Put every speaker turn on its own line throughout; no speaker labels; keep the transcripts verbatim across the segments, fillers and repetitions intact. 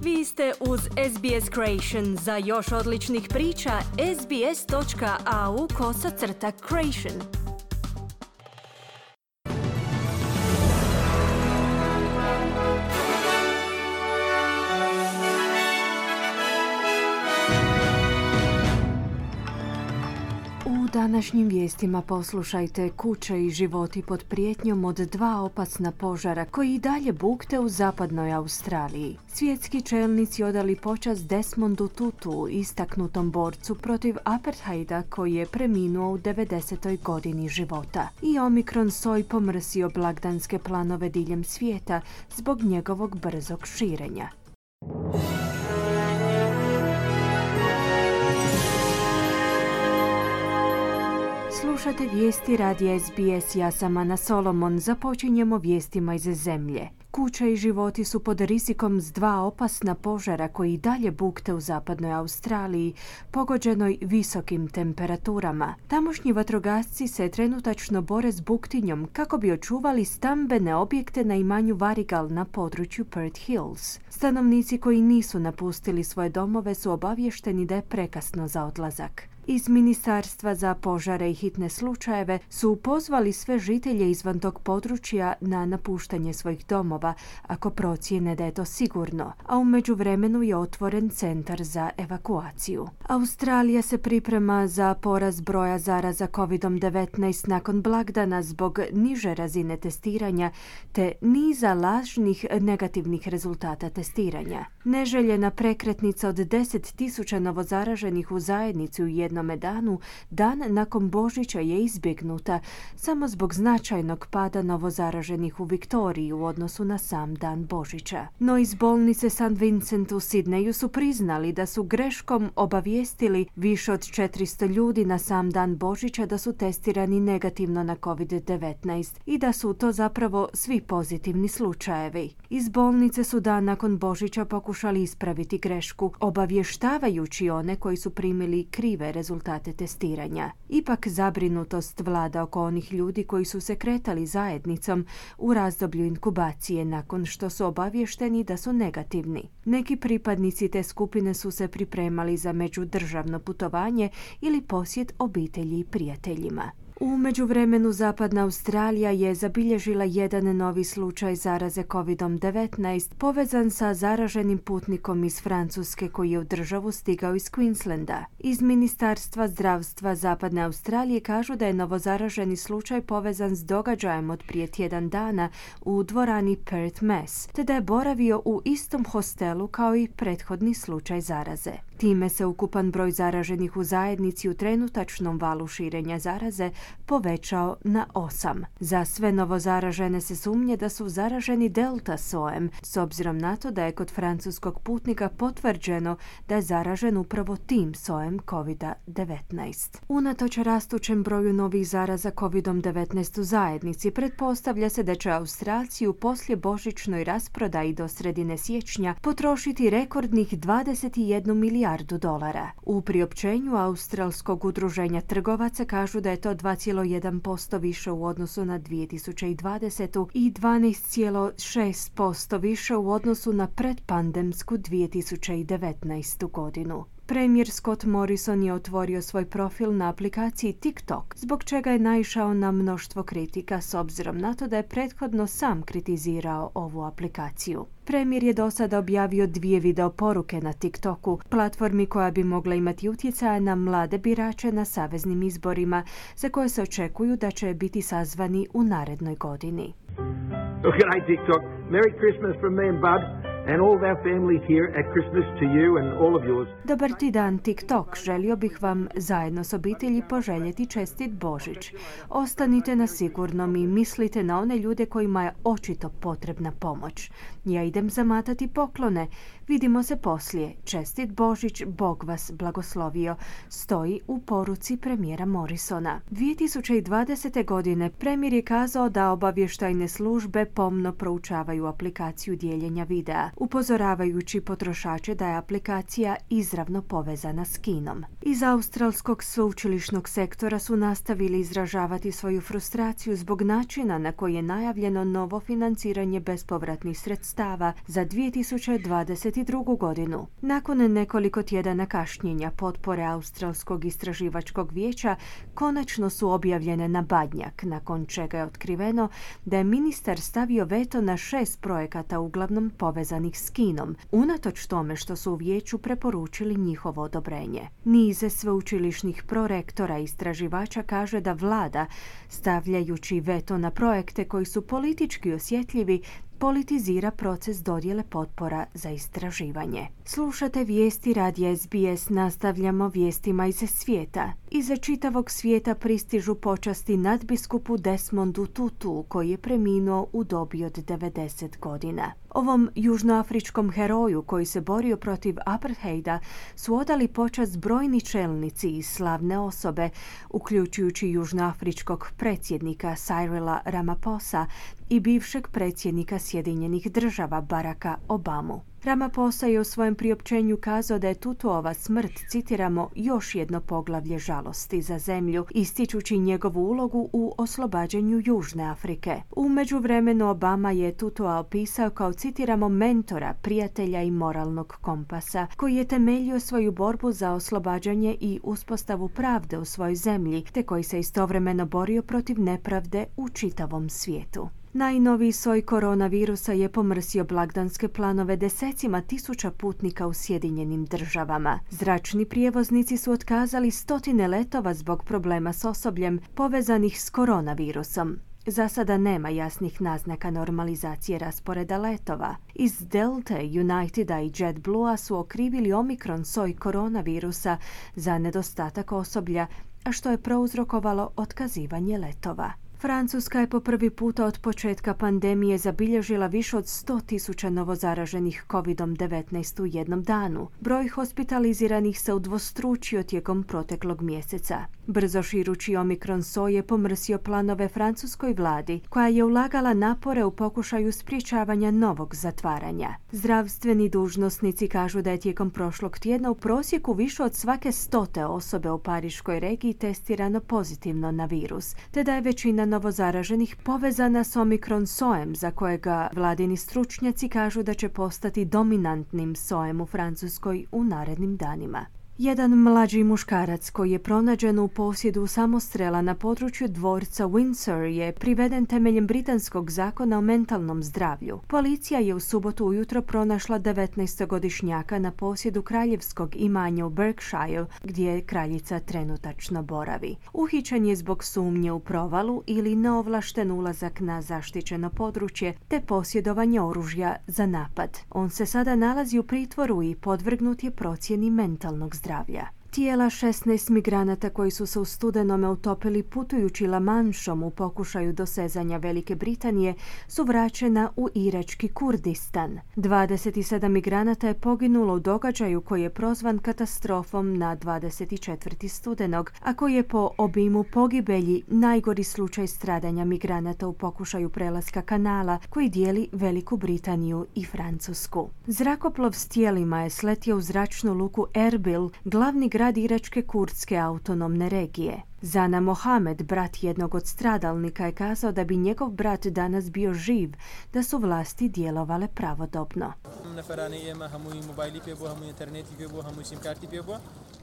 Vi ste uz S B S Creation. Za još odličnih priča, sbs.au kosacrta creation. U današnjim vijestima poslušajte: kuće i životi pod prijetnjom od dva opasna požara koji i dalje bukte u zapadnoj Australiji. Svjetski čelnici odali počast Desmondu Tutu, istaknutom borcu protiv apartheida koji je preminuo u devedesetoj godini života. I Omikron soj pomrsio blagdanske planove diljem svijeta zbog njegovog brzog širenja. Slušate vijesti radija S B S, ja sam Ana Solomon. Započinjemo vijestima iz zemlje. Kuće i životi su pod rizikom s dva opasna požara koji i dalje bukte u zapadnoj Australiji, pogođenoj visokim temperaturama. Tamošnji vatrogasci se trenutačno bore s buktinjom kako bi očuvali stambene objekte na imanju Varigal na području Perth Hills. Stanovnici koji nisu napustili svoje domove su obavješteni da je prekasno za odlazak. Iz Ministarstva za požare i hitne slučajeve su pozvali sve žitelje izvan tog područja na napuštanje svojih domova ako procijene da je to sigurno, a u međuvremenu je otvoren centar za evakuaciju. Australija se priprema za porast broja zaraza covid devetnaest nakon blagdana zbog niže razine testiranja te niza lažnih negativnih rezultata testiranja. Neželjena prekretnica od deset tisuća novozaraženih u zajednici u jednom danu, dan nakon Božića, je izbjegnuta samo zbog značajnog pada novozaraženih u Viktoriji u odnosu na sam dan Božića. No iz bolnice Saint Vincent u Sidneju su priznali da su greškom obavijestili više od četiristo ljudi na sam dan Božića da su testirani negativno na covid devetnaest i da su to zapravo svi pozitivni slučajevi. Iz bolnice su dan nakon Božića pokušali ispraviti grešku, obavještavajući one koji su primili krive rezultate testiranja. Ipak zabrinutost vlada oko onih ljudi koji su se kretali zajednicom u razdoblju inkubacije nakon što su obavješteni da su negativni. Neki pripadnici te skupine su se pripremali za međudržavno putovanje ili posjet obitelji i prijateljima. U međuvremenu zapadna Australija je zabilježila jedan novi slučaj zaraze covid devetnaest povezan sa zaraženim putnikom iz Francuske koji je u državu stigao iz Queenslanda. Iz Ministarstva zdravstva zapadne Australije kažu da je novozaraženi slučaj povezan s događajem od prije tjedan dana u dvorani Perth Mass, te da je boravio u istom hostelu kao i prethodni slučaj zaraze. Time se ukupan broj zaraženih u zajednici u trenutačnom valu širenja zaraze povećao na osam. Za sve novozaražene se sumnje da su zaraženi delta sojem, s obzirom na to da je kod francuskog putnika potvrđeno da je zaražen upravo tim sojem covid devetnaest. Unatoč rastućem broju novih zaraza covid devetnaest u zajednici, pretpostavlja se da će Australci u poslijebožićnoj rasprodaji do sredine siječnja potrošiti rekordnih dvadeset jednu milijardu dolara. U priopćenju Australskog udruženja trgovaca kažu da je to dva zarez jedan posto više u odnosu na dvije tisuće dvadesetu i dvanaest zarez šest posto više u odnosu na predpandemsku dvije tisuće devetnaestu godinu. Premijer Scott Morrison je otvorio svoj profil na aplikaciji TikTok, zbog čega je naišao na mnoštvo kritika s obzirom na to da je prethodno sam kritizirao ovu aplikaciju. Premijer je do sada objavio dvije video poruke na TikToku, platformi koja bi mogla imati utjecaja na mlade birače na saveznim izborima, za koje se očekuju da će biti sazvani u narednoj godini.
Well, g'day TikTok. Merry Christmas from me and Bud. And all of our families here at Christmas to you and all of yours.
Dobar ti dan TikTok, želio bih vam zajedno s obitelji poželjeti čestit Božić. Ostanite na sigurnom i mislite na one ljude kojima je očito potrebna pomoć. Ja idem zamatati poklone. Vidimo se poslije. Čestit Božić, Bog vas blagoslovio, stoji u poruci premijera Morrisona. dvije tisuće dvadesete. godine premijer je kazao da obavještajne službe pomno proučavaju aplikaciju dijeljenja videa. upozoravajući potrošače da je aplikacija izravno povezana s Kinom. Iz australskog sveučilišnog sektora su nastavili izražavati svoju frustraciju zbog načina na koji je najavljeno novo financiranje bespovratnih sredstava za dvije tisuće dvadeset drugu. godinu. Nakon nekoliko tjedana kašnjenja, potpore Australskog istraživačkog vijeća konačno su objavljene na badnjak, nakon čega je otkriveno da je ministar stavio veto na šest projekata uglavnom povezanih s Kinom, unatoč tome što su u vijeću preporučili njihovo odobrenje. Nize sveučilišnih prorektora i istraživača kaže da vlada, stavljajući veto na projekte koji su politički osjetljivi, politizira proces dodjele potpora za istraživanje. Slušate vijesti radija S B S, nastavljamo vijestima iz svijeta. Iza čitavog svijeta pristižu počasti nadbiskupu Desmondu Tutu, koji je preminuo u dobi od devedeset godina. Ovom južnoafričkom heroju koji se borio protiv apartheida su odali počast brojni čelnici i slavne osobe, uključujući južnoafričkog predsjednika Cyrila Ramaphosa i bivšeg predsjednika Sjedinjenih država Baracka Obamu. Ramaphosa je u svojem priopćenju kazao da je Tutuova smrt, citiramo, još jedno poglavlje žalosti za zemlju, ističući njegovu ulogu u oslobađanju Južne Afrike. U međuvremenu Obama je Tutua opisao kao, citiramo, mentora, prijatelja i moralnog kompasa, koji je temeljio svoju borbu za oslobađanje i uspostavu pravde u svojoj zemlji, te koji se istovremeno borio protiv nepravde u čitavom svijetu. Najnoviji soj koronavirusa je pomrsio blagdanske planove desecima tisuća putnika u Sjedinjenim državama. Zračni prijevoznici su otkazali stotine letova zbog problema s osobljem povezanih s koronavirusom. Za sada nema jasnih naznaka normalizacije rasporeda letova. Iz Delta, Uniteda i JetBlua su okrivili Omikron soj koronavirusa za nedostatak osoblja, a što je prouzrokovalo otkazivanje letova. Francuska je po prvi puta od početka pandemije zabilježila više od sto tisuća novozaraženih kovid devetnaest u jednom danu. Broj hospitaliziranih se udvostručio tijekom proteklog mjeseca. Brzo širući Omikron soj je pomrsio planove francuskoj vladi, koja je ulagala napore u pokušaju sprječavanja novog zatvaranja. Zdravstveni dužnosnici kažu da je tijekom prošlog tjedna u prosjeku više od svake stote osobe u pariškoj regiji testirano pozitivno na virus, te da je većina novozaraženih povezana s Omikron sojem, za kojega vladini stručnjaci kažu da će postati dominantnim sojem u Francuskoj u narednim danima. Jedan mlađi muškarac koji je pronađen u posjedu samostrela na području dvorca Windsor je priveden temeljem britanskog zakona o mentalnom zdravlju. Policija je u subotu ujutro pronašla devetnaestogodišnjaka na posjedu kraljevskog imanja u Berkshire, gdje kraljica trenutačno boravi. Uhićen je zbog sumnje u provalu ili neovlašten ulazak na zaštićeno područje te posjedovanje oružja za napad. On se sada nalazi u pritvoru i podvrgnut je procjeni mentalnog zdravlja. Tijela šesnaest migranata koji su se u studenome utopili putujući La Manšom u pokušaju dosezanja Velike Britanije su vraćena u irački Kurdistan. dvadeset sedam migranata je poginulo u događaju koji je prozvan katastrofom na dvadeset četvrtog studenog, a koji je po obimu pogibelji najgori slučaj stradanja migranata u pokušaju prelaska kanala koji dijeli Veliku Britaniju i Francusku. Zrakoplov s tijelima je sletio u zračnu luku Erbil, glavni grad grad iračke kurdske autonomne regije. Zana Mohamed, brat jednog od stradalnika, je kazao da bi njegov brat danas bio živ da su vlasti djelovale pravodobno.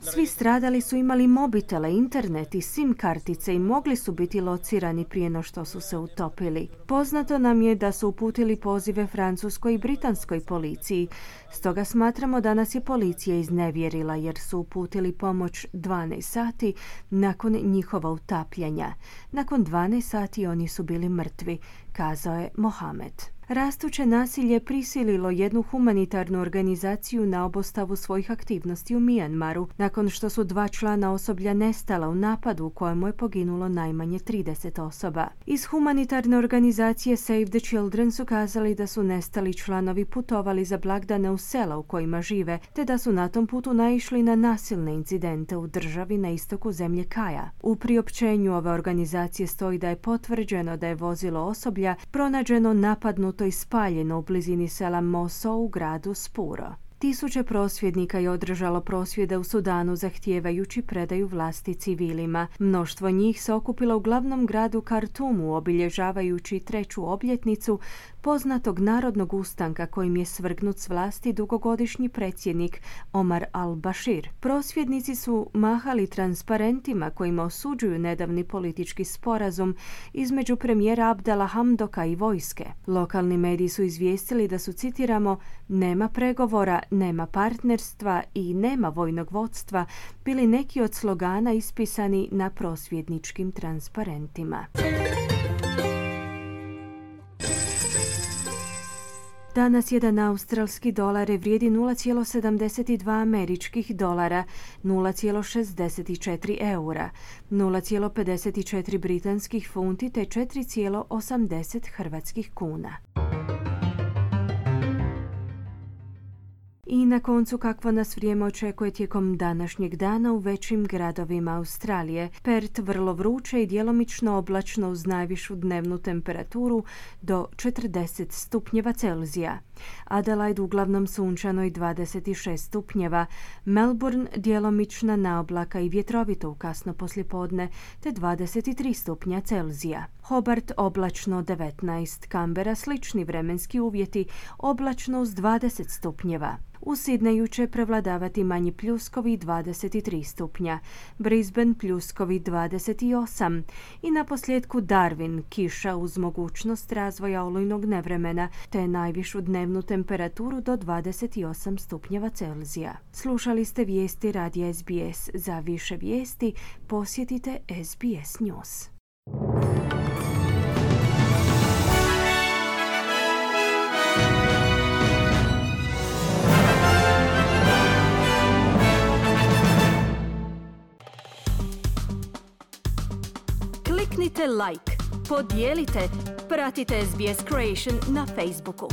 Svi stradali su imali mobitele, internet i sim kartice i mogli su biti locirani prije no što su se utopili. Poznato nam je da su uputili pozive francuskoj i britanskoj policiji, stoga smatramo da nas je policija iznevjerila jer su uputili pomoć dvanaest sati nakon njihova utapljanja. Nakon dvanaest sati oni su bili mrtvi, kazao je Mohamed. Rastuće nasilje prisililo jednu humanitarnu organizaciju na obustavu svojih aktivnosti u Mijanmaru, nakon što su dva člana osoblja nestala u napadu u kojemu je poginulo najmanje trideset osoba. Iz humanitarne organizacije Save the Children su kazali da su nestali članovi putovali za blagdane u sela u kojima žive, te da su na tom putu naišli na nasilne incidente u državi na istoku zemlje Kaja. U priopćenju ove organizacije stoji da je potvrđeno da je vozilo osoblja pronađeno napadnuto auto i spaljeno u blizini sela Moso u gradu Spuro. Tisuće prosvjednika je održalo prosvjede u Sudanu zahtijevajući predaju vlasti civilima. Mnoštvo njih se okupilo u glavnom gradu Kartumu obilježavajući treću obljetnicu poznatog narodnog ustanka kojim je svrgnut s vlasti dugogodišnji predsjednik Omar al-Bashir. Prosvjednici su mahali transparentima kojima osuđuju nedavni politički sporazum između premijera Abdala Hamdoka i vojske. Lokalni mediji su izvijestili da su, citiramo, nema pregovora, nema partnerstva i nema vojnog vodstva bili neki od slogana ispisani na prosvjedničkim transparentima. Danas jedan australski dolar vrijedi nula zarez sedamdeset dva američkih dolara, nula zarez šezdeset četiri eura, nula zarez pedeset četiri britanskih funti te četiri zarez osamdeset hrvatskih kuna. I na koncu kakvo nas vrijeme očekuje tijekom današnjeg dana u većim gradovima Australije. Perth vrlo vruće i djelomično oblačno uz najvišu dnevnu temperaturu do četrdeset stupnjeva Celzija. Adelaide uglavnom sunčano i dvadeset šest stupnjeva. Melbourne djelomična naoblaka i vjetrovito u kasno poslijepodne te dvadeset tri stupnja Celzija. Hobart oblačno devetnaest. Canberra slični vremenski uvjeti, oblačno uz dvadeset stupnjeva. U Sidneju će prevladavati manji pljuskovi dvadeset tri stupnja, Brisbane pljuskovi dvadeset osam i na posljedku Darwin kiša uz mogućnost razvoja olujnog nevremena te najvišu dnevnu temperaturu do dvadeset osam stupnjeva Celzija. Slušali ste vijesti radija S B S. Za više vijesti posjetite S B S News. Kliknite like, podijelite, pratite S B S Creation na Facebooku.